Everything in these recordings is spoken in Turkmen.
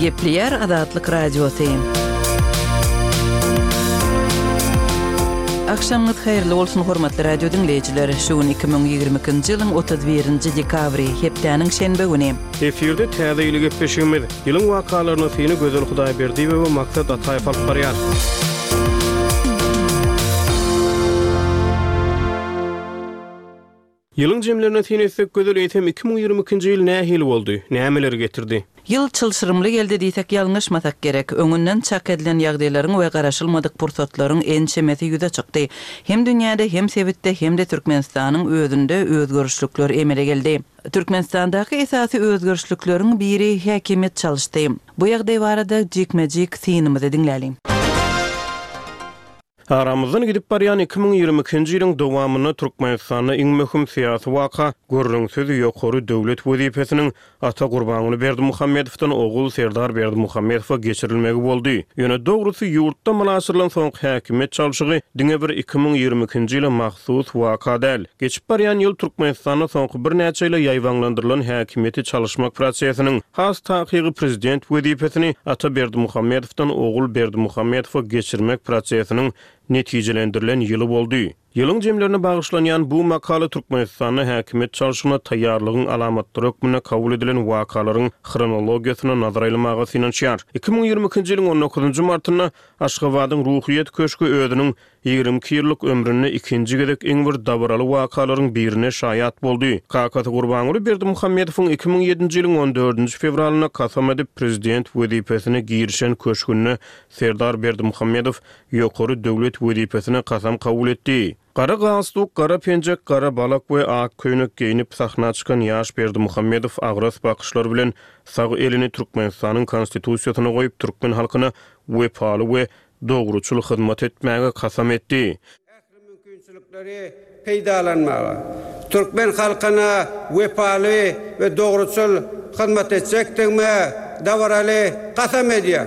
Gepleýär Azatlyk Radiosy. Agşamyňyz haýyrly bolsun, hormatly radio diňleýjiler! Şu gün 2022-nji ýylyň 31-nji dekabry, hepdäniň şenbe güni. Efirde Täze ýyly gepleşigimiz. Ýylyň wakalaryna syny Gözel Hudaýberdiýewa we Maksat Ataýew alyp barýar. Ýylyň jemlerine syn etsek, Gözel, eýsem 2022-nji ýyl nähili boldy? Nämeleri getirdi? Ýyl çylşyrymly geldi diýsek ýalňyşmasak gerek. Öňünden çak edilen ýagdaýlaryň we garaşylmadyk pursatlaryň ençemesi ýüze çykdy. Hem dünýäde, hem sebitde, hem-de Türkmenistanyň özünde özgerişlikler emele geldi. Türkmenistandaky esasy özgerişlikleriň biri häkimiýet çalyşdy. Bu ýagdaý barada jikme-jik synymyzy diňläliň. Aramyzdan gidip barýan 2022-nji ýylyň dowamynda Türkmenistanda iň möhüm syýasy waka, gürrüňsiz, ýokary döwlet wezipesiniň ata Gurbanguly Berdimuhamedowdan ogul Serdar Berdimuhamedowa geçirilmegi boldy. Ýöne dogrusy, ýurtda amala aşyrylan soňky häkimiýet çalşygy diňe bir 2022-nji ýyla mahsus waka däl. Geçip barýan ýyl Türkmenistanda soňky birnäçe ýyla ýaýbaňlandyrylan häkimiýeti çalyşmak prosesiniň, has takygy prezident wezipesini Ata Berdimuhamedowdan Ogul Berdimuhamedowa geçirmek prosesiniň netijelendirilen ýyly boldy. Ýylyň jemlerine bagyşlanýan bu makala Türkmenistanda häkimiýet çalşygyna taýýarlygyň alamatlary hökmünde kabul edilen wakalaryň hronologiýasyna nazar aýlamaga synanyşýar. 2022-nji ýylyň on dokuzynjy martynda Aşgabadyň Ruhyýet köşgi özüniň 22 ýyllyk ömründe ikinji gezek iň bir dabaraly wakalaryň birine şaýat boldy. Kakasy Gurbanguly Berdimuhamedowyň 2007-nji ýylyň on dördünji fewralynda kasam edip, prezident wezipesine girişen köşgünde Serdar Berdimuhamedow ýokary döwlet wezipesine kasam kabul etdi. Gara galstuk, gara penjek, gara balak we ak köýnek geýnip sahna çykan ýaş Berdimuhamedow agras bakyşlar bilen sag elini Türkmenistanyň Konstitusiýasyna goýup, türkmen halkyna wepaly we dogruçyl hyzmat etmäge kasam etdi. Ähli mümkinçilikleri peýdalanmaga, türkmen halkyna wepaly we dogruçyl hyzmat etjekdigime dabaraly kasam edýän.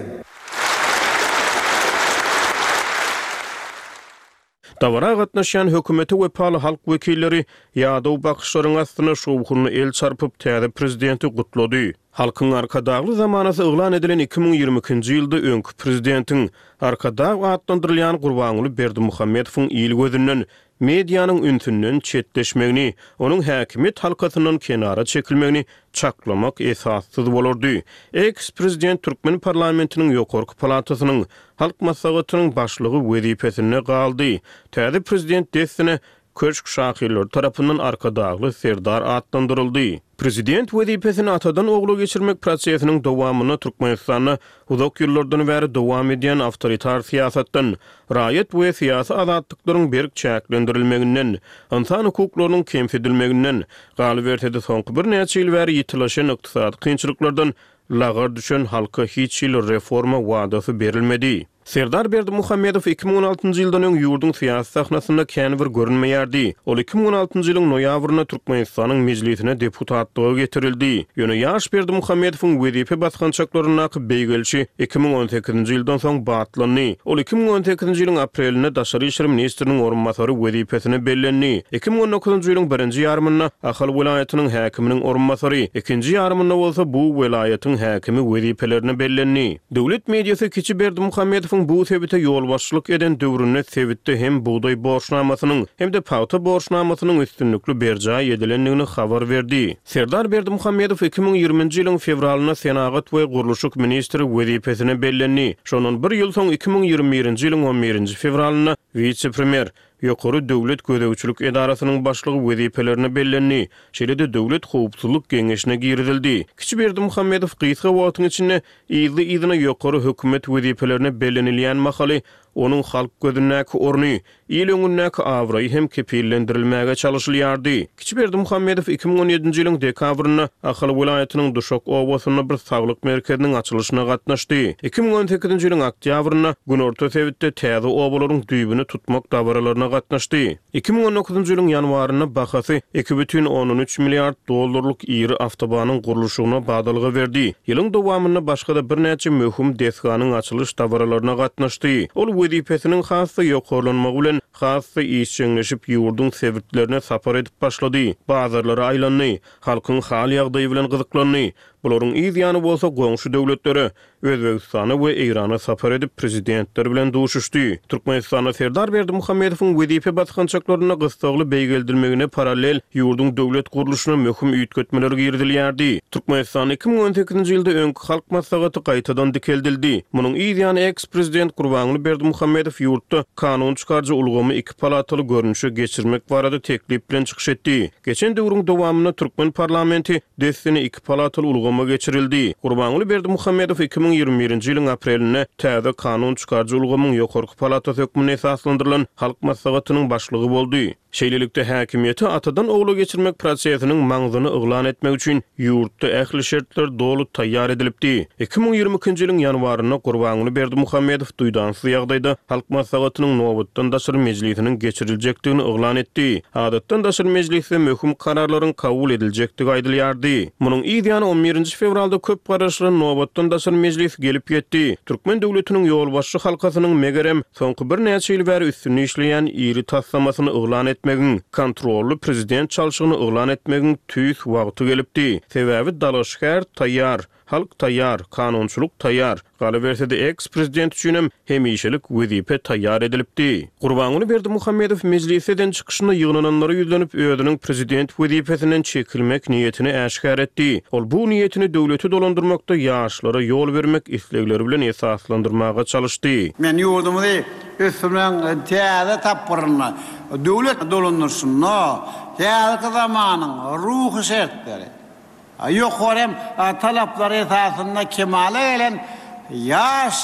Dabara gatnaşýan hökümete wepaly halk wekilleri ýadaw bakyşlaryň astynda şowhunly el çarpyp, täze prezidenti gutlady. Halkyň Arkadagly zamanasy yglan edilen 2022-nji ýylda öňki prezidentiň, Arkadag atlandyrylýan Gurbanguly Berdimuhamedowyň il gözünden, medianyň ünsünden çetleşmegini, onuň häkimiýet halkasyndan kenara çekilmegini çaklamak esassyz bolardy. Eks-prezident türkmen parlamentiniň ýokarky palatasynyň, Halk Maslahatynyň başlygy wezipesinde galdy. Täze prezident dessine köşk şahyrlary tarapyndan Arkadagly Serdar atlandyryldy. Prezident wezipesini atadan ogla geçirmek prosesiniň dowamynda Türkmenistanda uzak ýyllardan bäri dowam edýän awtoritar syýasatdan, raýat we syýasy azatlyklaryň berk çäklendirilmeginden, ynsan hukuklarynyň kemsidilmeginden, galyberse-de soňky birnäçe ýyl bäri ýitileşen ykdysady kynçylyklardan lagar düşen halka hiç hili reforma wadasy berilmedi. Serdar Berdimuhamedow 2016-njy ýyldan öň ýurduň syýasy sahnasynda kän bir görünmeýärdi. Ol 2016-njy ýylyň noýabrynda Türkmenistanyň Mejlisine deputatlyga getirildi. Ýöne ýaş Berdimuhamedowyň wezipe basgançaklaryndaky beýgelişi 2018-nji ýyldan soň batlandy. Ol 2018-nji ýylyň aprelinde daşary işler ministriniň orunbasary wezipesine bellendi. 2019-njy ýylyň birinji ýarymynda Ahal welaýatynyň häkiminiň orunbasary, ikinji ýarymynda bolsa bu welaýatyň häkimi wezipelerine bellendi. Döwlet mediasy kiçi Berdimuhamedowyň bu sebite ýolbaşçylyk eden döwründe sebitde hem bugdaý borçnamasynyň, hem-de pagta borçnamasynyň üstünlikli berjaý edilendigini habar berdi. Serdar Berdimuhamedow 2020-nji ýylyň fewralynda senagat we gurluşyk ministri wezipesine bellendi. Şondan bir ýyl soň 2021-nji ýylyň on birinji fewralynda wise-premýer, Ýokary döwlet gözegçilik edarasynyň başlygy wezipelerine bellendi, şeýle-de Döwlet howpsuzlyk geňeşine girizildi. Kiçi Berdimuhamedow gysga wagtyň içinde yzly-yzyna ýokary hökümet wezipelerine bellenilýän mahaly onuň halk gözündäki orny, il öňündäki abraýy hem kepillendirilmäge çalyşylýardy. Kiçi Berdimuhamedow 2017-nji ýylyň dekabrynda Ahal welaýatynyň Duşak obasynda bir saglyk merkeziniň açylyşyna gatnaşdy. 2018-nji ýylyň oktýabrynda günorta sebitde täze obalaryň düýbüni tutmak dabaralaryna gatnaşdy. 2019-njy ýylyň ýanwarynda bahasy 2,3 milliard dollarlyk iri awtobanyň gurluşygyna badalga berdi. Ýylyň dowamynda başga-da birnäçe möhüm desganyň açylyş dabaralaryna gatnaşdy. Ol wezipesiniň has-da ýokarlanmagy bilen has-da işjeňleşip ýurduň sebitlerine sapar edip başlady, bazarlara aýlandy. Halkyň hal-ýagdaýy bilen gyzyklandy. Bularyň yz ýany bolsa goňşy döwletlere, Özbegistana we Eýrana sapar edip, prezidentler bilen duşuşdy. Türkmenistanda Serdar Berdimuhamedowyň wezipe basgançaklarynda gyssagly beýgeldilmegine parallel ýurduň döwlet gurluşyna möhüm üýtgetmeler girizilýärdi. Türkmenistanda 2018-nji ýylda öňki Halk Maslahaty gaýtadan dikeldildi. Munuň yz ýany eks-prezident Gurbanguly Berdimuhamedow ýurtda kanun çykaryjy ulgamy iki palataly görnüşe geçirmek barada teklip bilen çykyş etdi. Geçen döwrüň dowamynda türkmen parlamenti dessine iki palataly ulgama geçirildi. Gurbanguly Berdimuhamedow 2021-nji ýylyň aprelinde täze kanun çykaryjy ulgamyň ýokarky palatasy hökmünde esaslandyrylan Halk Maslahatynyň başlygy boldy. Şeýlelikde, häkimiýeti atadan ogla geçirmek prosesiniň maňzyny yglan etmek üçin ýurtda ähli şertler doly taýýar edilipdi. 2022-nji ýylyň ýanwarynda Gurbanguly Berdimuhamedow duýdansyz ýagdaýda Halk Maslahatynyň nobatdan daşary mejlisiniň geçiriljekdigini yglan etdi. Adatdan daşary mejlisde möhüm kararlaryň kabul ediljekdigi aýdylýardy. Munuň yz ýany on birinji fewralda köp garaşylan nobatdan daşary mejlis gelip ýetdi. Türkmen döwletiniň ýolbaşçy halkasynyň, megerem, soňky birnäçe ýyl bäri üstünde işleýän iri taslamasyny yglan etmegiň, kontrolly prezident çalşygyny yglan etmegiň tüýs wagty gelipdi. Sebäbi dalaşgär taýýar. Halk taýýar, kanunçylyk taýýar, galyberse-de eks-prezident üçinem hemişelik wezipe taýýar edilipdi. Gurbanguly Berdimuhamedow mejlisde eden çykyşynda ýygnananlara ýüzlenip, özüniň prezident wezipesinden çekilmek niýetini äşgär etdi. Ol bu niýetini döwleti dolandyrmakda ýaşlara ýol bermek islegleri bilen esaslandyrmaga çalyşdy. Men ýurdumyzy ösdürmegiň täze tapgyrynda, döwlet dolandyryşynda häzirki zamanyň ruhy şertleri, Ýokary hem talaplar esasynda kemala gelen ýaş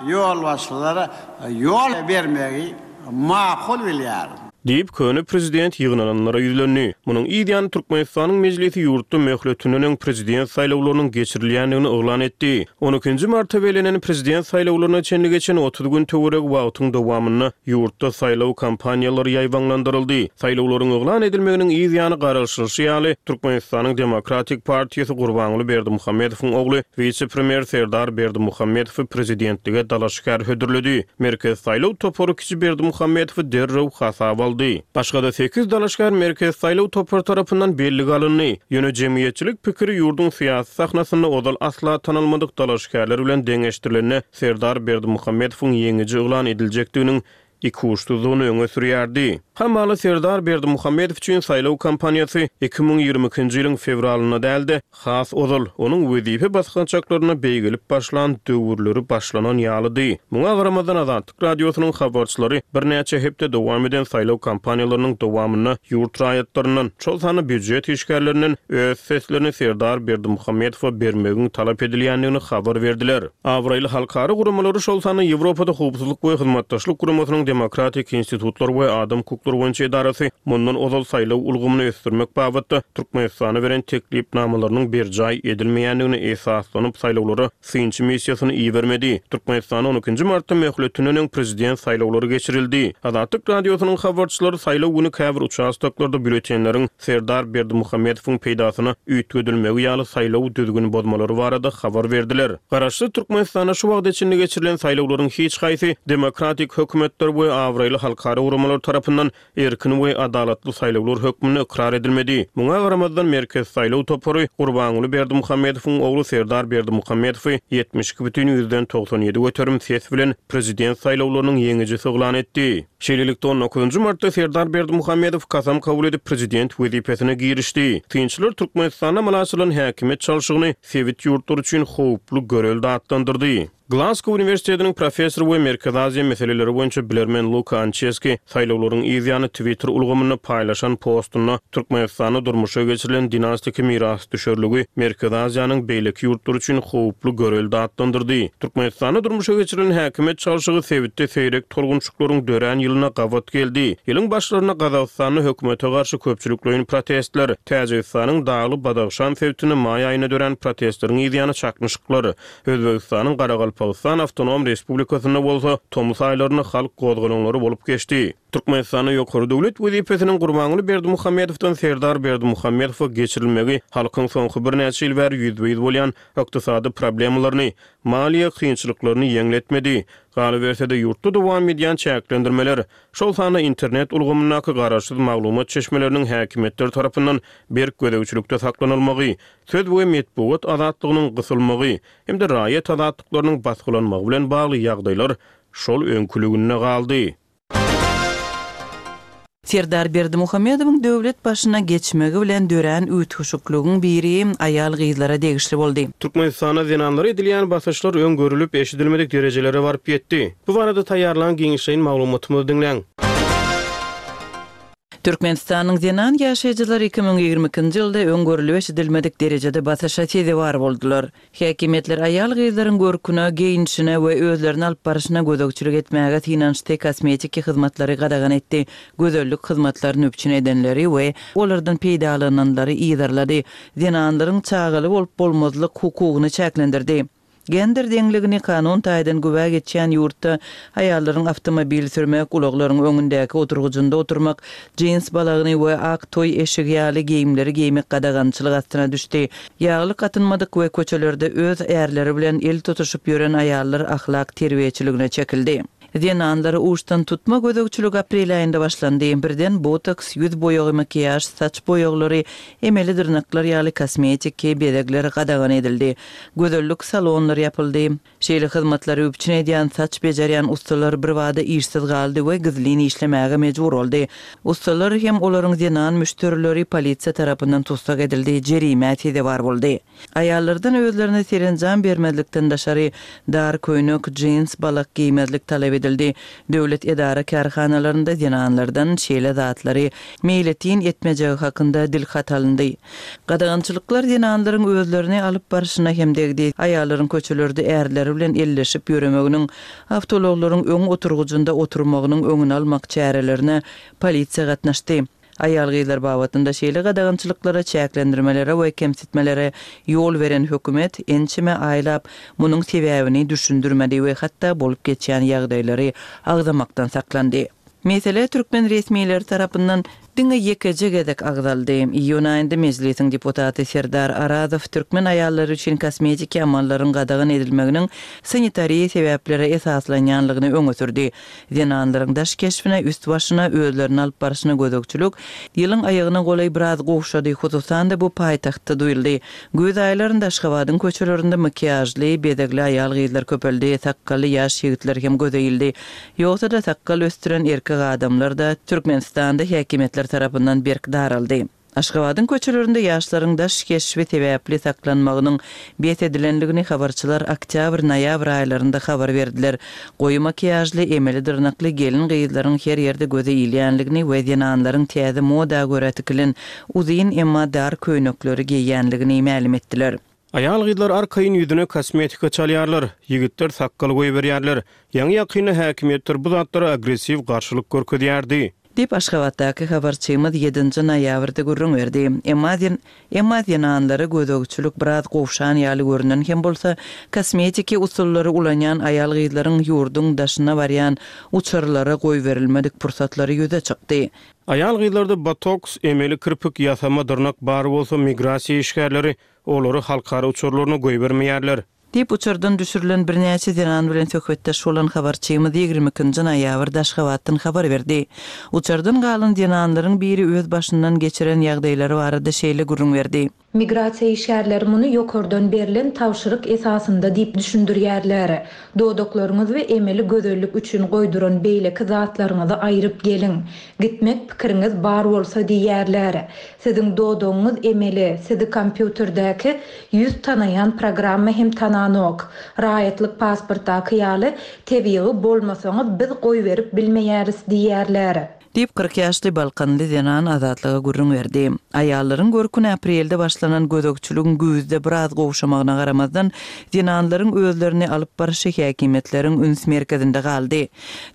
ýolbaşçylara ýol bermegi makul bilýärin. Diýip, köne prezident ýygnananlara ýüzlendi. Munuň yz ýany Türkmenistanyň Mejlisi ýurtda möhletinden öň prezident saýlawlarynyň geçirilýändigini yglan etdi. On ikinji marta bellenen prezident saýlawlaryna çenli geçen 30 gün töweregi wagtyň dowamynda ýurtda saýlaw kampaniýalary ýaýbaňlandyryldy. Saýlawlaryň yglan edilmeginiň yz ýany garaşylyşy ýaly, Türkmenistanyň Demokratik partiýasy Gurbanguly Berdimuhamedowyň ogly, wise-premýer Serdar Berdimuhamedowy prezidentlige dalaşgär hödürledi. Merkezi saýlaw topary kiçi Berdimuhamedowy derrew hasaba aldy. Başga-da sekiz dalaşgär Merkezi saýlaw topary tarapyndan bellige alyndy. Ýöne jemgyýetçilik pikiri ýurduň syýasy sahnasynda ozal asla tanalmadyk dalaşgärler bilen deňeşdirilende Serdar Berdimuhamedowyň ýeňiji yglan ediljekdiginiň ikuçsuzdygyny öňe sürýärdi. Hamala Serdar Berdimuhamedow üçin saýlaw kampaniýasy 2022-nji ýylyň fewralynda däl-de, has ozal, onuň wezipe basgançaklarynda beýgelip başlan döwürleri başlanan ýalydy. Muňa garamazdan, Azatlyk Radiosynyň habarçylary birnäçe hepde dowam eden saýlaw kampaniýalarynyň dowamynda ýurt raýatlaryndan, şol sanda býujet işgärlerinden öz seslerini Serdar Berdimuhamedowa bermegiň talap edilýändigini habar berdiler. Abraýly halkara guramalary, şol sanda Ýewropada Howpsuzlyk we Hyzmatdaşlyk Guramasynyň Demokratik institutlar we adam hukuklary boýunça edarasy mundan ozal saýlaw ulgamyny ösdürmek babatda Türkmenistana beren teklipnamalarynyň berjaý edilmeýändigine esaslanyp saýlawlara synçy missiýasyny ibermedi. Türkmenistanda on ikinji martda möhletinden öň prezident saýlawlary geçirildi. Azatlyk Radiosynyň habarçylary saýlaw güni käbir uçastoklarda býulletenleriň Serdar Berdimuhamedowyň peýdasyna üýtgedilmegi ýaly saýlaw düzgün bozmalary barada habar berdiler. Garaşsyz Türkmenistanda şu wagta çenli geçirilen saýlawlaryň hiç haýsy demokratik hökümetler we abraýly halkara guramalar tarapyndan erkin we adalatly saýlawlar hökmünde ykrar edilmedi. Muňa garamazdan Merkezi saýlaw topary Gurbanguly Berdimuhamedowyň ogly Serdar Berdimuhamedowy 72,97 göterim ses bilen prezident saýlawlarynyň ýeňijisi yglan etdi. Şeýlelikde, on dokuzynjy martda Serdar Berdimuhamedow kasam kabul edip, prezident wezipesine girişdi. Synçylar Türkmenistanda amala aşyrylan häkimiýet çalşygyny sebit ýurtlary üçin howply görelde atlandyrdy. Glasgow uniwersitetiniň professory we Merkezi Aziýa meseleleri boýunça bilermen Luka Ançeski saýlawlaryň yz ýany Twitter ulgamynda paýlaşan postunda Türkmenistanda durmuşa geçirilen dinastiki mirasdüşerligi Merkezi Aziýanyň beýleki ýurtlary üçin howply görelde atlandyrdy. Türkmenistanda durmuşa geçirilen häkimiýet çalşygy sebitde seýrek tolgunşyklaryň dörän ýylyna gabat geldi. Ýylyň başlarynda Gazagystanda hökümete garşy köpçülikleýin protestler, Täjigistanyň Dagly Badahşan sebitinde maý aýynda dörän protestleriň yzýany çaknyşyklar, Özbegistanyň Garagalpagystan awtonom respublikasynda bolsa tomus aýlarynda halk gozgalaňlary bolup geçdi. Türkmenistanda ýokary döwlet wezipesiniň Gurbanguly Berdimuhamedowdan Serdar Berdimuhamedowa geçirilmegi halkyň soňky birnäçe ýyl bäri ýüzbe-ýüz bolýan ykdysady problemalaryny, maliýe kynçylyklaryny ýeňletmedi. Galyberse-de, ýurtda dowam edýän çäklendirmeler, şol sanda internet ulgamyndaky garaşsyz maglumat çeşmeleriniň häkimiýetler tarapyndan berk gözegçilikde saklanylmagy, söz we metbugat azatlygynyň gysylmagy hem-de raýat azatlyklarynyň basgylanmagy bilen bagly ýagdaýlar şol öňküliginde galdy. Serdar Berdimuhamedowyň döwlet başyna geçmegi bilen dörän üýtgeşikligiň biri aýal-gyzlara degişli boldy. Türkmenistanda zenanlara edilýän basyşlar öň görülip-eşidilmedik derejelere baryp ýetdi. Bu barada taýýarlan giňişleýin maglumatymyzy diňläň. Türkmenistanyň zenan ýaşaýjylary 2022-nji ýylda öň görülip-eşidilmedik derejede basyşa sezewar boldular. Häkimiýetler aýal-gyzlaryň görküne, geýnişine we özlerini alyp baryşyna gözegçilik etmäge synanyşdy, kosmetiki hyzmatlary gadagan etdi, gözellik hyzmatlaryny üpjün edenleri we olardan peýdalananlary yzarlady, zenanlaryň çagaly bolup-bolmazlyk hukugyny çäklendirdi. Gender deňligini kanun taýdan güwä geçýän ýurtda aýallaryň awtomobil sürmek, ulaglaryň öňündäki oturgyjynda oturmak, jins balagyny we ak toý eşigi ýaly geýimleri geýmek gadagançylyk astyna düşdi. Ýaglyk atynmadyk we köçelerde öz ärleri bilen el tutuşyp ýören aýallar ahlak terbiýeçiligine çekildi. Zenanlara uçdan tutma gözegçilik aprel aýynda başlandy. Birden botoks, ýüz boýagy, makiýaž, saç boýaglary, emeli dyrnaklar ýaly kosmetiki bezegler gadagan edildi. Gözellik salonlary ýapyldy. Şeýle hyzmatlary üpjün edýän saç bejerýän ussalar birbada işsiz galdy we gizlin işlemäge mejbur boldy. Ussalar hem olaryň zenan müşderileri polisiýa tarapyndan tussag edildi, jerimä sezewar boldy. Aýallardan özlerine serenjam bermezlikden daşary, dar köýnek, jins, balak geýmezlik talap edildi. Döwlet edara-kärhanalarynda zenanlardan şeýle zatlary meýletin etmejegi hakynda dilhat alyndy. Gadagançylyklar zenanlaryň özlerini alyp barşyna hem degdi. Aýallaryň köçelerde ärleri bilen elleşip ýöremeginiň, awtoulaglaryň öň oturgyjynda oturmagynyň öňüni almak çärelerine polisiýa gatnaşdy. Aýal-gyzlar babatynda şeýle gadagançylyklara, çäklendirmelere we kemsitmelere ýol beren hökümet ençeme aýlap munuň sebäbini düşündirmedi we hatda bolup geçýän ýagdaýlary agzamakdan saklandy. Mesele türkmen resmileri tarapyndan diňe ýekeje gezek agzaldy. Iýun aýynda Mejlisiň deputaty Serdar Arazow türkmen aýallary üçin kosmetiki amallaryň gadagan edilmeginiň sanitariýa sebäplere esaslanýanlygyny öňe sürdi. Zenanlaryň daş keşbine, üst-başyna, özlerini alyp barşyna gözegçilik ýylyň aýagyna golaý biraz gowşady, hususan-da bu paýtagtda duýuldy. Güýz aýlarynda Aşgabadyň köçelerinde makiýažly, bezegli aýal-gyzlar köpeldi, sakgally ýaş ýigitler hem göze ildi. Ýogsa-da sakgal ösdüren erkek adamlar-da Türkmenistanda häkimiýetler tarapyndan berk daraldy. Aşgabadyň köçelerinde ýaşlaryň daş keşbi sebäpli saklanmagynyň bes edilendigini habarçylar oktýabr-noýabr aýlarynda habar berdiler. Goýy makiýažly, emeli dyrnakly gelin-gyzlaryň her ýerde göze ilýänligini we zenanlaryň täze moda görä tikilen uzyn, emma dar köýnekleri geýýänligini mälim etdiler. Aýal-gyzlar arkaýyn ýüzüne kosmetika çalýarlar, ýigitler sakgal goýberýärler. Ýaňy-ýakynda häkimiýetler bu zatlara agressiw garşylyk görkezýärdi. Diýip, Aşgabatdaky habarçymyz ýedinji noýabrda gürrüň berdi. Emma Emma zenanlara gözegçilik biraz gowşan ýaly görünen hem bolsa, kosmetiki usullary ulanýan aýal-gyzlaryň ýurduň daşyna barýan uçarlara goýberilmedik pursatlary ýüze çykdy. Aýal-gyzlarda botoks, emeli kirpik, ýasama dyrnak bar bolsa, migrasiýa işgärleri olary halkara uçarlaryna goýbermeýärler. Diýip, uçardan düşürilen birnäçe zenan bilen söhbetdeş bolan habarçymyz ýigrimi ikinji noýabrda Aşgabatdan habar berdi. Uçardan galan zenanlaryň biri öz başyndan geçiren ýagdaýlary barada şeýle gürrüň berdi. Migrasiýa işgärleri muny ýokardan berlen tabşyryk esasynda diýip düşündirýärler. Dodaklaryňyz we emeli gözellik üçin goýduran beýleki zatlaryňyzy aýryp geliň. Gitmek pikiriňiz bar bolsa diýýärler. Siziň dodagyňyz emeli, sizi kompýuterdäki ýüz tanaýan programma hem tananok. Raýatlyk pasportdaky ýaly tebigy bolmasaňyz biz goýberip bilmeýäris diýýärler. Diýip, 40 ýaşly balkanly zenan Azatlyga gürrüň berdi. Aýallaryň görküne aprelde başlanan gözegçiligiň güýzde biraz gowşamagyna garamazdan, zenanlaryň özlerini alyp barşy häkimiýetleriň üns merkezinde galdy.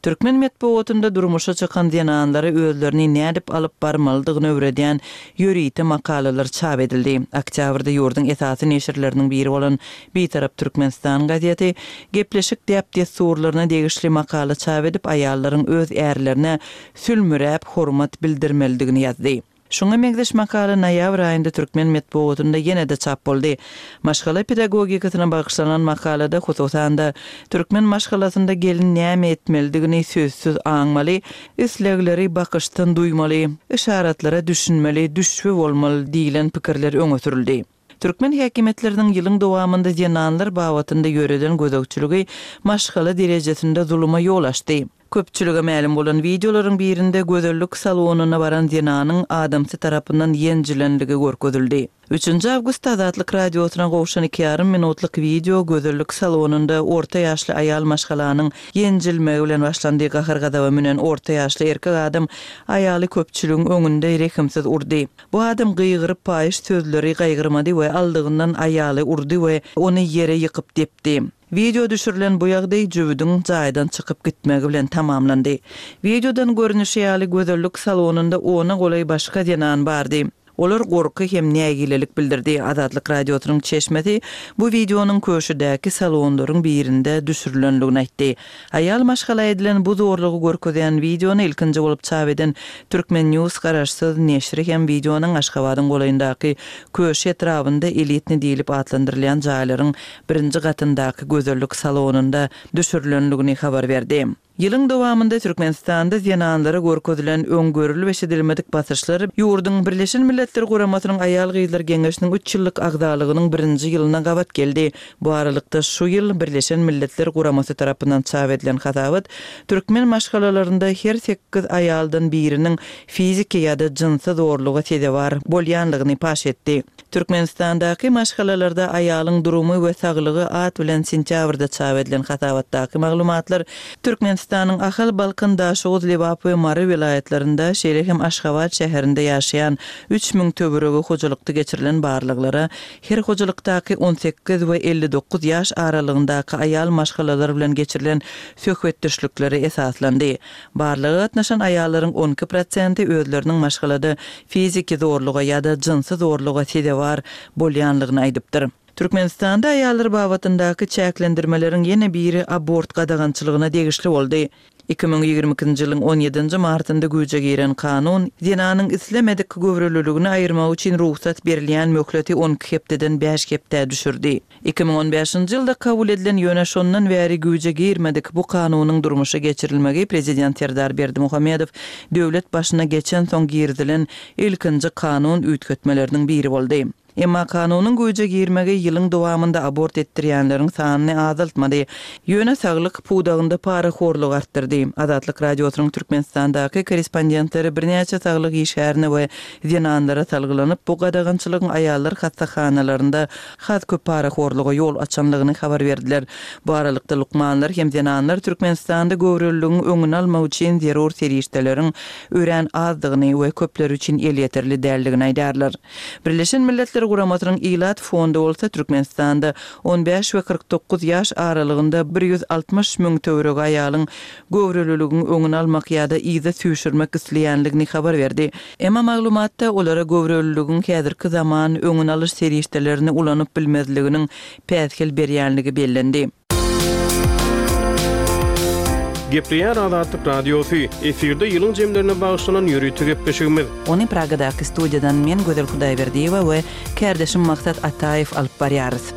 Türkmen metbugatynda durmuşa çykan zenanlara özlerini nädip alyp barmalydygyny öwredýän ýörite makalalar çap edildi. Oktýabrda ýurduň esasy neşirleriniň biri bolan Bitarap Türkmenistan gazeti gepleşik däp-dessurlaryna degişli makala çap edip, aýallaryň öz ärlerine sülmüräp hormat bildirmelidigini ýazdy. Şuňa meňzeş makala noýabr aýynda türkmen metbugatynda ýene-de çap boldy. Maşgala pedagogikasyna bagyşlanan makalada, hususan-da, türkmen maşgalasynda gelin näme etmelidigini sözsüz aňmaly, islegleri bakyşdan duýmaly, yşaratlara düşünmeli, düşbi bolmaly diýlen pikirler öňe sürüldi. Türkmen häkimiýetleriniň ýylyň dowamynda zenanlar babatynda ýöreden gözegçiligi maşgala derejesinde zuluma ýol açdy. Köpçülige mälim bolan wideolaryň birinde gözellik salonyna baran zenanyň adamsy tarapyndan ýenjilenligi görkezildi. Üçünji awgustda Azatlyk Radiosyna gowşan iki ýarym minutlyk wideo gözellik salonynda orta ýaşly aýal maşgalanyň ýenjilmegi bilen başlandy. Gahar-gazaba münen orta ýaşly erkek adam aýaly köpçüligiň öňünde rehimsiz urdy. Bu adam gygyryp paýyş sözleri gaýgyrmady we aldygyndan aýaly urdy we ony ýere ýykyp depdi. Wideo düşürilen bu ýagdaý jübüdiň jaýdan çykyp gitmegi bilen tamamlandy. Wideodan görnüşi ýaly gözellik salonynda ona golaý başga zenan bardy. Olar gorky hem nägilelik bildirdi. Azatlyk Radiosynyň çeşmesi bu wideonyň Köşüdäki salonlaryň birinde düşürilendigini aýtdy. Aýal maşgala edilen bu zorlugy görkezýän wideony ilkinji bolup çap eden Turkmen News garaşsyz neşiri hem wideonyň Aşgabadyň golaýyndaky Köşi etrabynda Elitnyý diýlip atlandyrylýan jaýlaryň birinji gatyndaky gözellik salonynda düşürilendigini habar berdi. Ýylyň dowamynda Türkmenistanda zenanlara görkezilen öň görülip-eşidilmedik basyşlar ýurduň Birleşen Milletler Guramasynyň Aýal-gyzlar geňeşiniň üç ýyllyk agzalygynyň birinji ýylyna gabat geldi. Bu aralykda, şu ýyl Birleşen Milletler Guramasy tarapyndan çap edilen hasabat türkmen maşgalalarynda her sekiz aýaldan biriniň fiziki ýa-da jynsy zorluga sezewar bolýanlygyny paş etdi. Türkmenistandaky maşgalalarda aýalyň durumy we saglygy at bilen sentýabrda çap edilen hasabatdaky maglumatlar Türkmenistanyň Ahal, Balkan, Daşoguz, Lebap we Mary welaýatlarynda, şeýle hem Aşgabat şäherinde ýaşaýan 3000 töweregi hojalykda geçirilen barlaglara Her hojalykdaky 18 we 59 ýaş aralygyndaky aýal maşgalalar bilen geçirilen söhbetdeşliklere esaslandy. Barlaga gatnaşan aýallaryň 12 prosenti özleriniň maşgalada fiziki zorluga ýa-da jynsy zorluga sezewar bolýanlygyny aýdypdyr. Türkmenistanda aýallar babatyndaky çäklendirmeleriň ýene biri abort gadagançylygyna degişli boldy. 2022-nji ýylyň on ýedinji martynda güýje giren kanun, zenanyň islemedik göwreliligini aýyrmagy üçin rugsat berilýän möhleti on iki hepdeden bäş hepdä düşürdi. 2015-nji ýylda kabul edilen, ýöne şondan bäri güýje girmedik bu kanunyň durmuşa geçirilmegi prezident Serdar Berdimuhamedow döwlet başyna geçensoň girizilen ilkinji kanun üýtgetmeleriniň biri boldy. Emma kanunyň güýje girmegi ýylyň dowamynda abort etdirýänleriň sanyny azaltmady. Ýöne saglyk pudagynda parahorlugy artdyrdy. Azatlyk Radiosynyň Türkmenistandaky korrespondentleri birnäçe saglyk işgärine we zenanlara salgylanyp, bu gadagançylygyň aýallar hassahanalarynda has köp parahorluga ýol açanlygyny habar berdiler. Bu aralykda, lukmanlar hem zenanlar Türkmenistanda göwreliligiň öňüni almak üçin zerur serişdeleriň örän azdygyny we köpler üçin elýeterli däldigini aýdýarlar. Birleşen Milletler Guramasynyň Ilat fondy bolsa Türkmenistanda on bäş we 49 ýaş aralygynda 160 müň töweregi aýalyň göwreliligiň öňüni almak ýa-da yza süýşürmek isleýänligini habar berdi. Emma maglumatda olara göwreliligiň häzirki zaman öňüni alyş serişdelerini ulanyp bilmezliginiň päsgel berýänligi bellendi. Gepleýär Azatlyk Radiosy, efirde ýylyň jemlerine bagyşlanan ýörite gepleşigimiz. Ony Pragadaky studiýadan men Gözel Hudaýberdiýewa we kärdeşim Maksat Ataýew alyp barýarys.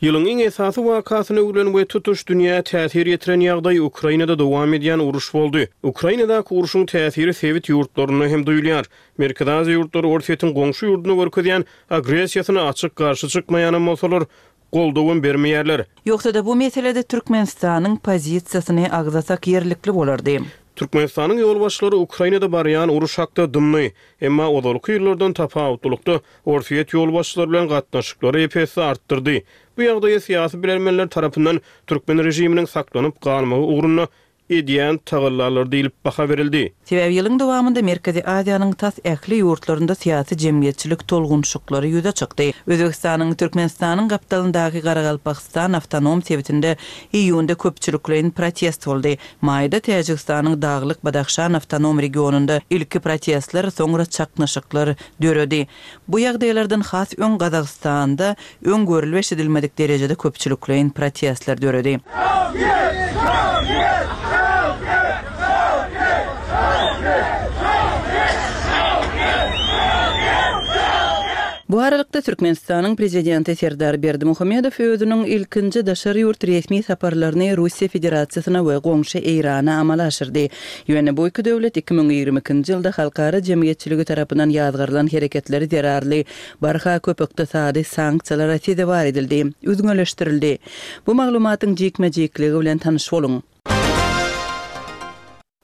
Ýylyň iň esasy wakasyna öwrülen we tutuş dünýä täsir ýetiren ýagdaý Ukrainada dowam edýän uruş boldy. Ukrainadaky urşuň täsiri sebit ýurtlarynda hem duýulýar. Merkezi Aziýa ýurtlary Orsýetiň goňşy ýurduna görkezýän agressiýasyna açyk garşy çykmaýanam bolsalar, goldawam bermeýärler. Ýogsa-da bu meselede Türkmenistanyň pozisiýasyny agzasak ýerlikli bolardy. Türkmenistanyň ýolbaşçylary Ukrainada barýan uruş hakda dymdy. Emma ozalky ýyllardan tapawutlylykda, Orsýet ýolbaşçylary bilen gatnaşyklary ep-esli artdyrdy. Bu ýagdaýa syýasy bilermenler tarapyndan türkmen režiminiň saklanyp galmagy ugrunda edýän tagallalary diýlip baha berildi. Sebäbi ýylyň dowamynda Merkezi Aziýanyň tas ähli ýurtlarynda syýasy-jemgyýetçilik tolgunyşyklary ýüze çykdy. Özbegistanyň Türkmenistanyň gapdalyndaky Garagalpagystan awtonom sebitinde iýunda köpçülikleýin protest boldy. Maýda Täjigistanyň Daglyk Badahşan awtonom regionynda ilki protestler, soňra çaknyşyklar döredi. Bu ýagdaýlardan has öň Gazagystanda öň görülip-eşidilmedik derejede köpçülikleýin protestler döredi. Bu aralykda, Türkmenistanyň Prezidenti Serdar Berdimuhamedow özüniň ilkinji daşary ýurt resmi saparlaryny Russiýa Federasiýasyna we goňşy Eýrana amala aşyrdy. Ýöne bu iki döwlet 2022-nji ýylda halkara jemgyýetçiligi tarapyndan ýazgarylan hereketleri zerarly barha köp ykdysady sanksiýalara sezewar edildi, üzňeleşdirildi. Bu maglumatyň jikme-jikligi bilen tanyş boluň.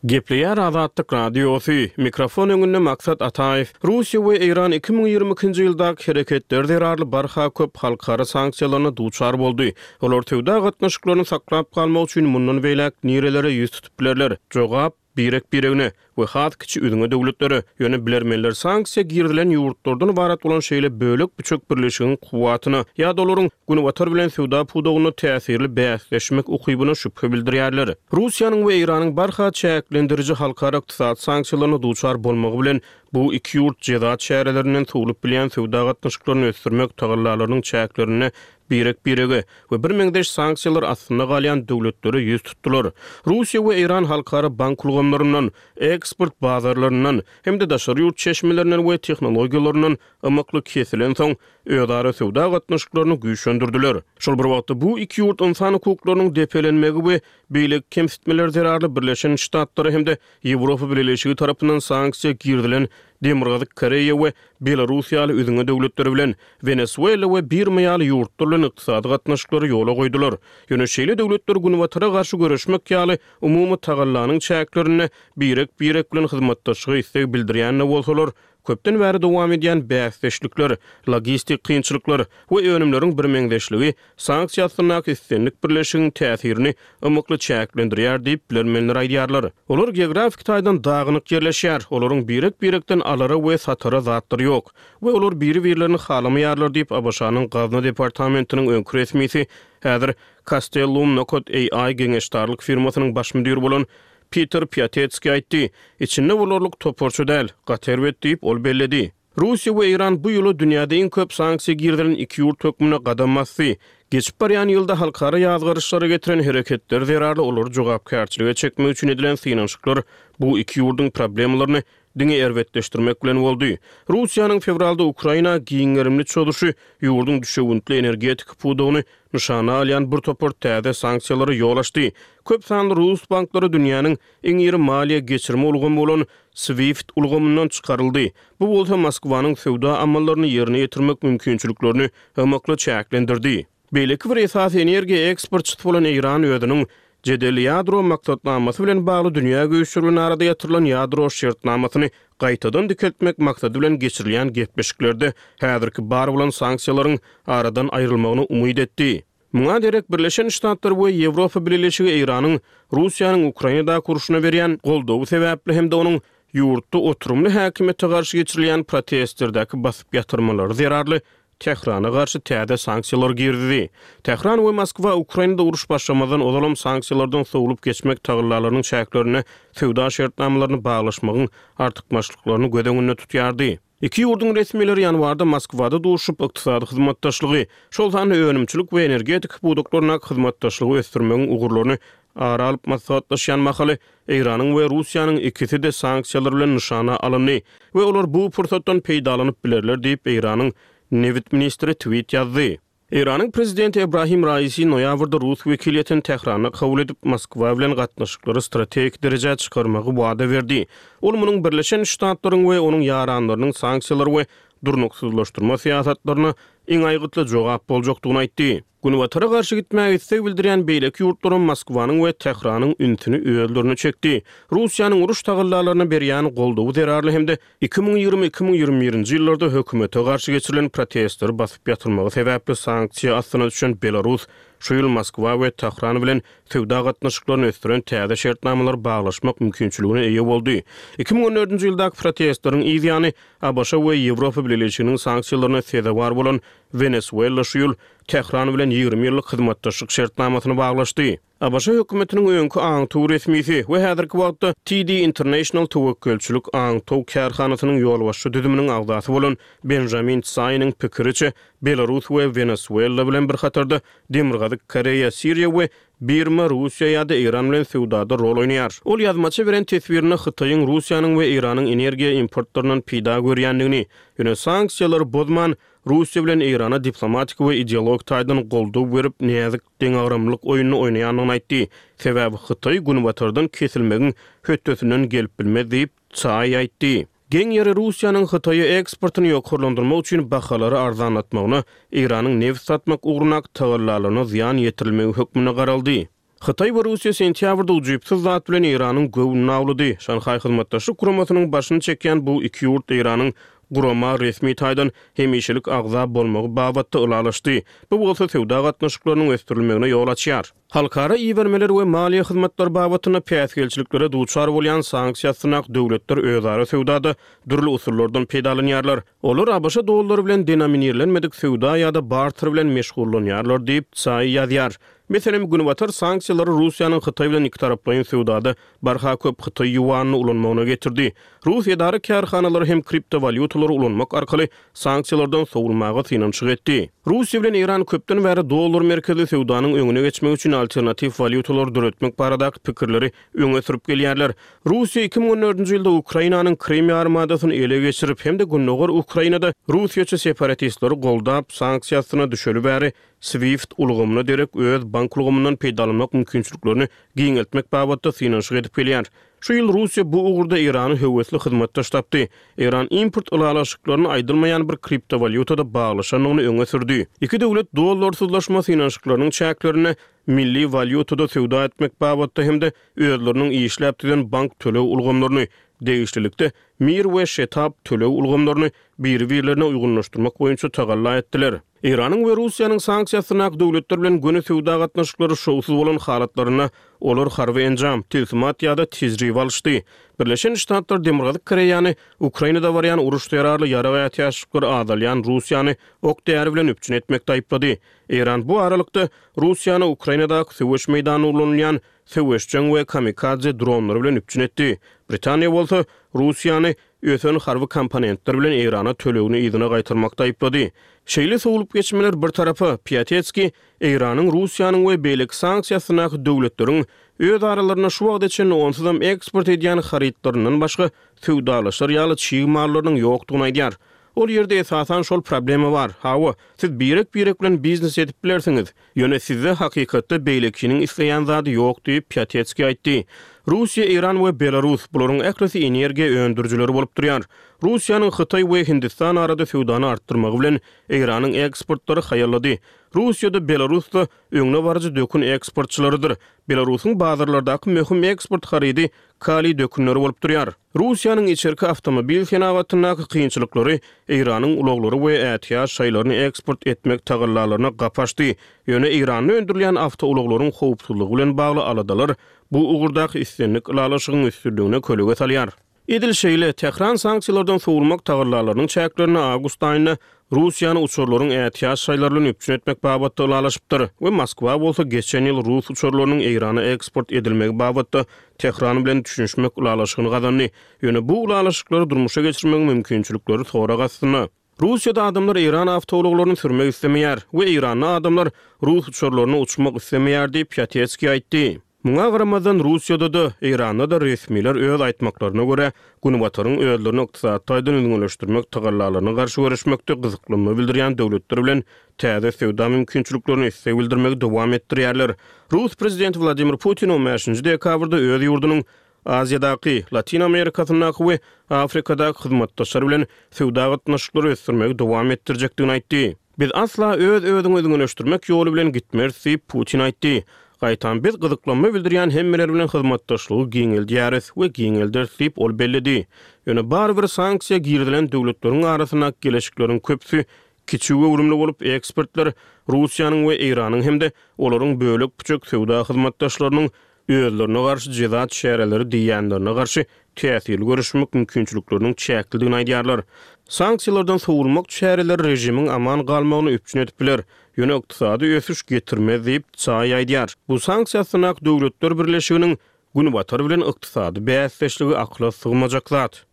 Gepleýär Azatlyk Radiosy, mikrofon öňünde Maksat Ataýew. Russiýa we Eýran 2022-nji ýyldaky hereketleri zerarly barha köp halkara sanksiýalaryna duçar boldy. Olar söwda gatnaşyklaryny saklap galmak üçin mundan beýläk nirelere ýüz tutup bilerler? Jogap, birek-biregine we has kiçi üzňe döwletlere. Ýöne bilermenler sanksiýa girizilen ýurtlardan ybarat bolan şeýle bölek-büçek birleşigiň kuwwatyna ýa-da olaryň Günbatar bilen söwda pudagynda täsirli bäsleşmek ukybyna şübhe bildirýärler. Russiýanyň we Eýranyň barha çäklendiriji halkara ykdysady sanksiýalaryna duçar bolmagy bilen, bu iki ýurt jeza çärelerinden sowlup bilýän söwda gatnaşyklaryny ösdürmek tagallalarynyň çäklerinde birek-birege we birmeňzeş sanksiýalar astynda galýan döwletlere ýüz tutdular. Russiýa we Eýran halkara bank ulgamlaryndan, eksport bazarlaryndan hem-de daşary ýurt çeşmelerinden we tehnologiýalaryndan ymykly kesilensoň, özara söwda gatnaşyklaryny güýçlendirdiler. Şol bir wagtda, bu iki ýurt ynsan hukuklarynyň depelenmegi we beýleki kemsitmeler zerarly Birleşen Ştatlara hem-de Ýewropa Bileleşigi tarapyndan sanksiýa girizilen Demirgazyk Koreýa we Belarus ýaly üzňe döwletleri bilen, Wenesuela we Birma ýaly ýurtlar bilen ykdysady gatnaşyklary ýola goýdular. Ýöne şeýle döwletler Günbatara garşy göreşmek ýaly umumy tagallanyň çäklerinde birek-birek bilen hyzmatdaşlyga isleg bildirýän-de bolsalar, Köpden bäri dowam edýän bäsdeşlikler, logistik kynçylyklar we önümleriň birmeňzeşligi sanksiýa astyndaky islendik birleşigiň täsirini ymykly çäklendirýär diýip, bilermenler aýdýarlar. Olar geografiki taýdan dagynyk ýerleşýär, olaryň birek-birekden alara we satara zatlary ýok we olar biri-birlerini halamaýarlar diýip, ABŞ-nyň Gazna departamentiniň öňki resmisi, häzir Castellum Nokat AI geňeşdarlyk firmasynyň baş müdiri bolan Peter Piatetskiý aýtdy. Içinde bolarlyk toparça däl, gaty erbet diýip, ol belledi. Russiýa we Eýran bu ýyla dünýäde iň köp sanksiýa girizilen iki ýurt hökmünde gadam basdy. Geçip barýan ýylda halkara ýazgaryşlara getiren hereketleri zerarly olary jogapkärçilige çekmek üçin edilen synanyşyklar bu iki ýurduň problemalaryny diňe erbetleşdirmek bilen boldy. Russiýanyň fewralda Ukraina giň gerimli çozuşy ýurduň düşewüntli energetika pudagyny nyşana alýan bir topar täze sanksiýalara ýol açdy. Köp sanly rus banklary dünýäniň iň iri maliýe geçirme ulgamy bolan SWIFT ulgamyndan çykaryldy. Bu bolsa Moskwanyň söwda amallaryny ýerine ýetirmek mümkinçiliklerini ymykly çäklendirdi. Beýleki bir esasy energiýa eksportçysy bolan Eýran özüniň jedelli ýadro maksatnamasy bilen bagly dünýä güýçleri bilen arada ýatyrylan ýadro şertnamasyny gaýtadan dikeltmek maksady bilen geçirilýän gepleşiklerde häzirki bar bolan sanksiýalaryň aradan aýrylmagyna umyt etdi. Muňa derek Birleşen Ştatlar we Ýewropa Bileleşigi Eýranyň Russiýanyň Ukrainadaky urşuna berýän goldawy sebäpli hem-de onuň ýurtda oturymly häkimiýete garşy geçirilýän protestlerdäki basyp ýatyrmalary zerarly Tährana garşy täze sanksiýalar girizdi. Tähran we Moskwa Ukrainada uruş başlamazdan ozalam sanksiýalardan sowlup geçmek tagallalarynyň çäklerinde söwda şertnamalaryny baglaşmagyň artykmaçlyklaryny göz öňünde tutýardy. Iki ýurduň resmileri ýanwarda Moskwada duşup, ykdysady hyzmatdaşlygy, şol sanda önümçilik we energetika pudaklaryndaky hyzmatdaşlygy ösdürmegiň ugurlaryny ara alyp maslahatlaşýan mahaly, Eýranyň we Russiýanyň ikisi-de sanksiýalar bilen nyşana alyndy we olar bu pursatdan peýdalanyp bilerler diýip, Eýranyň nebit ministri tweet ýazdy. Eýranyň prezidenti Ebrahim Raisi noýabrda rus wekiliýetini Tähranda kabul edip, Moskwa bilen gatnaşyklary strategik derejä çykarmagy wada berdi. Ol munuň Birleşen Ştatlaryň we onuň ýaranlarynyň sanksiýalar we durnuksyzlaşdyrma syýasatlaryna iň aýgytly jogap boljakdygyny aýtdy. Günbatara garşy gitmäge isleg bildirýän beýleki ýurtlaram Moskwanyň we Tähranyň ünsüni özlerine çekdi. Russiýanyň uruş tagallalaryna berýän goldawy zerarly hem-de 2020, 2021-nji ýyllarda hökümete garşy geçirilen protestleri basyp ýatyrmagy sebäpli sanksiýa astyna düşen Belarus şu ýyl Moskwa we Tähran bilen söwda gatnaşyklaryny ösdüren täze şertnamalary baglaşmak mümkinçiligine eýe boldy. 2014-nji ýyldaky protestleriň yz ýany ABŞ we Ýewropa Bileleşiginiň sanksiýalaryna sezewar bolan Wenesuela şu ýyl Tähran bilen 20 ýyllyk hyzmatdaşlyk şertnamasyny baglaşdy. ABŞ hökümetiniň öňki aňtaw resmisi we häzirki wagtda TD International töwekgelçilik aňtaw kärhanasynyň ýolbaşçy düzüminiň agzasy bolan Benjamin Tsaýnyň pikiriçe, Belarus we Wenesuela bilen bir hatarda Demirgazyk Koreýa, Siriýa we Birma Russiýa ýa-da Eýran bilen söwdada rol oýnaýar. Ol ýazmaça beren teswirinde Hytaýyň Russiýanyň we Eýranyň energiýa importlaryndan peýda görýändigini, ýöne sanksiýalary bozman, Russiýa bilen Eýrana diplomatik we ideologik taýdan goldaw berip, näzik deňagramlylyk oýnuny oýnaýandygyny aýtdy. Sebäbi Hytaý Günbatardan kesilmegiň hötdesinden gelip bilmez diýip, Tsai aýtdy. Geň ýeri Russiýanyň Hytaýa eksportyny ýokarlandyrmak üçin bahalary arzanlatmagyna Eýranyň nebit satmak ugrundaky tagallalaryna zyýan ýetirilmegi hökmünde garaldy. Hytaý we Russiýa sentýabrda ujypsyz zat bilen Eýranyň göwnüni awlady. Şanhaý Hyzmatdaşlyk Guramasynyň başyny çekýän bu iki ýurt Eýranyň gurama resmi taýdan hemişelik agza bolmagy babatda ylalaşdy. Bu bolsa söwda gatnaşyklarynyň ösdürilmegine ýol açýar. Halkara ibermeler we maliýe hyzmatlary babatynda päsgelçiliklere duçar bolýan sanksiýa astyndaky döwletler özara söwdada dürli usullardan peýdalanýarlar. Olar ABŞ dollary bilen denominirlenmedik söwda ýa-da barter bilen meşgullanýarlar diýip, Tsai ýazýar. Meselem, Günbatar sanksiýalary Russiýanyň Hytaý bilen ikitaraplaýyn söwdada barha köp hytaý ýuanyny ulanmagyna getirdi. Rus edara-kärhanalary hem kriptowalýutalary ulanmak arkaly sanksiýalardan sowulmaga synanyşyk etdi. Russiýa bilen Eýran köpden bäri dollar merkezli söwdanyň öňüne geçmek üçin alternatiw walýutalary döretmek baradaky pikirleri öňe sürüp gelýärler. Russiýa 2014-nji ýylda Ukrainanyň Krym ýarymadasyny ele geçirip hem-de gündogar Ukrainada russiýaçy separatistleri goldap, sanksiýa astyna düşeli bäri SWIFT ulgamyna derek öz bank ulgamyndan peýdalanmak mümkinçiliklerini giňeltmek babatda synanyşyk edip gelýär. Şu ýyl Russiýa bu ugurda Eýrany höwesli hyzmatdaş tapdy. Eýran import ylalaşyklaryny aýdylmaýan bir kriptowalýutada baglaşandygyny öňe sürdi. Iki döwlet dollarsyzlaşma synanyşyklarynyň çäklerinde milli walýutada söwda etmek babatda hem-de özleriniň işläp düzen bank töleg ulgamlaryny, degişlilikde Mir we Şetap töleg ulgamlaryny biri-birlerine uýgunlaşdyrmak boýunça tagalla etdiler. Eýranyň we Russiýanyň sanksiýa astyndaky döwletler bilen göni söwda gatnaşyklary şowsuz bolan halatlarynda olar harby enjam, tilsimat ýa-da tejribe alyşdy. Birleşen Ştatlar Demirgazyk Koreýany Ukrainada barýan uruş zerarly ýarag ätiýaçlyklary azalýan Russiýany ok-däri bilen üpjün etmekde aýyplady. Eýran bu aralykda, Russiýany Ukrainadaky söweş meýdanynda ulanylýan söweşjeň we kamikadze dronlary bilen üpjün etdi. Britaniýa bolsa, Russiýany ösen harby komponentler bilen Eýrana tölegini yzyna gaýtarmakda aýyplady. Şeýle sowlup geçmeler bir tarapa, Piatetskiý Eýranyň, Russiýanyň we beýleki sanksiýa astyndaky döwletleriň öz aralarynda şu wagta çenli onsuzam eksport edýän harytlaryndan başga söwdalaşar ýaly çig mallarynyň ýokdugyny aýdýar. Ol ýerde esasan şol problema bar. Hawa, siz birek-birek bilen biznes edip bilersiňiz. Ýöne sizde hakykatda beýlekiniň isleýän zady ýok diýip, Piatetskiý aýtdy. Russiýa, Eýran we Belarus, bularyň ählisi energiýa öndürijileri bolup durýar. Russiýanyň Hytaý we Hindistan arada söwdany artdyrmagy bilen Eýranyň eksportlary haýallady. Russiýa-da, Belarus-da öňdebaryjy dökün eksportçylarydyr. Belarusyň bazarlardaky möhüm eksport harydy kaliý dökünleri bolup durýar. Russiýanyň içerki awtomobil senagatyndaky kynçylyklary Eýranyň ulaglary we ätiýaç şaýlaryny eksport etmek tagallalaryna gapy açdy. Ýöne Eýranda öndürilýän awtoulaglaryň howpsuzlygy bilen bagly aladalar bu ugurdaky islendik ylalaşygyň üstünligine kölege salýar. Edil şeýle, Tähran sanksiýalardan sowulmak tagallalarynyň çäklerinde awgust aýynda Russiýany uçarlaryň ätiýaç şaýlary bilen üpjün etmek babatda ylalaşypdyr we Moskwa bolsa geçen ýyl rus uçarlarynyň Eýrana eksport edilmegi babatda Tähran bilen düşünişmek ylalaşygyny gazandy. Ýöne bu ylalaşyklary durmuşa geçirmegiň mümkinçilikleri sorag astynda. Russiýada adamlar eýran awtoulaglaryny sürmek islemeýär we eýranly adamlar rus uçarlaryna uçmak islemeýär diýip, Piatetskiý aýtdy. Muňa garamazdan, Russiýada-da, Eýranda-da resmiler öz aýtmaklaryna görä, Günbataryň özlerini ykdysady taýdan üzňeleşdirmek tagallalaryna garşy göreşmekde gyzyklanma bildirýän döwletler bilen täze söwda mümkinçiliklerine isleg bildirmegi dowam etdirýärler. Rus prezidenti Wladimir Putin on bäşinji dekabrda öz ýurdunyň Aziýadaky, Latyn Amerikasyndaky we Afrikadaky hyzmatdaşlar bilen söwda gatnaşyklary ösdürmegi dowam etdirjekdigini aýtdy. Biz asla öz-özüňi üzňeleşdirmek ýoly bilen gitmeris diýip, Putin aýtdy. Gaýtam biz gyzyklanma bildirýän hemmeler bilen hyzmatdaşlygy giňeldýäris we giňelderis diýip, ol belledi. Ýöne barybir sanksiýa girizilen döwletleriň arasyndaky geleşikleriň köpüsi kiçi göwrümli bolup, ekspertler Russiýanyň we Eýranyň hem-de olaryň bölek-büçek söwda hyzmatdaşlarynyň özlerine garşy jeza çäreleri diýýänlerine garşy täsirli göreşmek mümkinçilikleriniň çäklidigini aýdýarlar. Sanksiýalardan sowulmak çäreleri režimiň aman galmagyny üpjün edip biler, ýöne ykdysady ösüş getirmez diýip, Tsaý aýdýar. Bu sanksiýa astyndaky döwletler birleşiginiň Günbatar bilen ykdysady bäsdeşligi akyla sygmajak zat.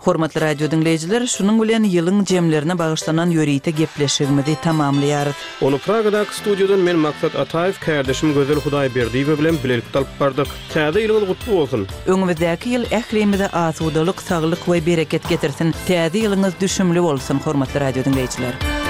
Hormatly radio diňleýjiler, şunuň bilen ýylyň jemlerine bagyşlanan ýörite gepleşigimizi tamamlaýarys. Ony Pragadaky studiýadan men Maksat Ataýew, kärdeşim Gözel Hudaýberdiýewa bilen bilelikde alyp bardyk. Täze ýylyňyz gutly bolsun! Öňümizdäki ýyl ählimize asudalyk, saglyk we bereket getirsin! Täze ýylyňyz düşümli bolsun, hormatly radio diňleýjiler!